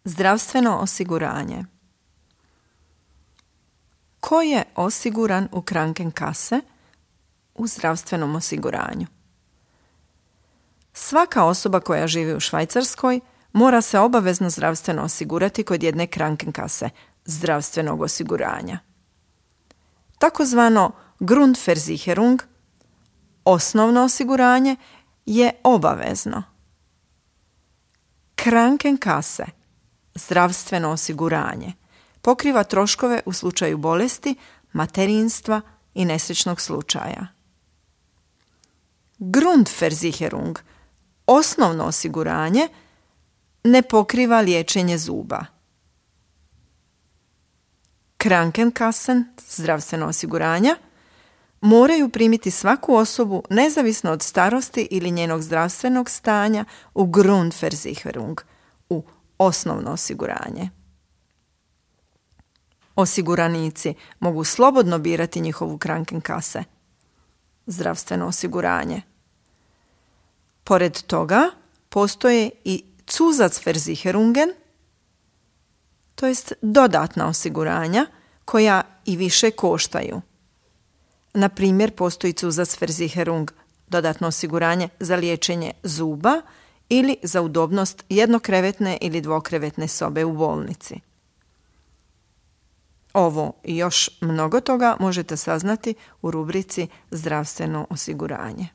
Zdravstveno osiguranje. Ko je osiguran u Krankenkasse u zdravstvenom osiguranju? Svaka osoba koja živi u Švajcarskoj mora se obavezno zdravstveno osigurati kod jedne Krankenkasse, zdravstvenog osiguranja. Takozvano Grundversicherung, osnovno osiguranje, je obavezno. Krankenkasse, zdravstveno osiguranje, pokriva troškove u slučaju bolesti, materinstva i nesrećnog slučaja. Grundversicherung, osnovno osiguranje, ne pokriva liječenje zuba. Krankenkassen, zdravstveno osiguranja, moraju primiti svaku osobu nezavisno od starosti ili njenog zdravstvenog stanja u Grundversicherung, u osnovno osiguranje. Osiguranici mogu slobodno birati njihovu Krankenkasse, zdravstveno osiguranje. Pored toga postoje i Zusatzversicherungen, to jest dodatna osiguranja koja i više koštaju. Na primjer, postoji Zusatzversicherung, dodatno osiguranje za liječenje zuba ili za udobnost jednokrevetne ili dvokrevetne sobe u bolnici. Ovo i još mnogo toga možete saznati u rubrici Zdravstveno osiguranje.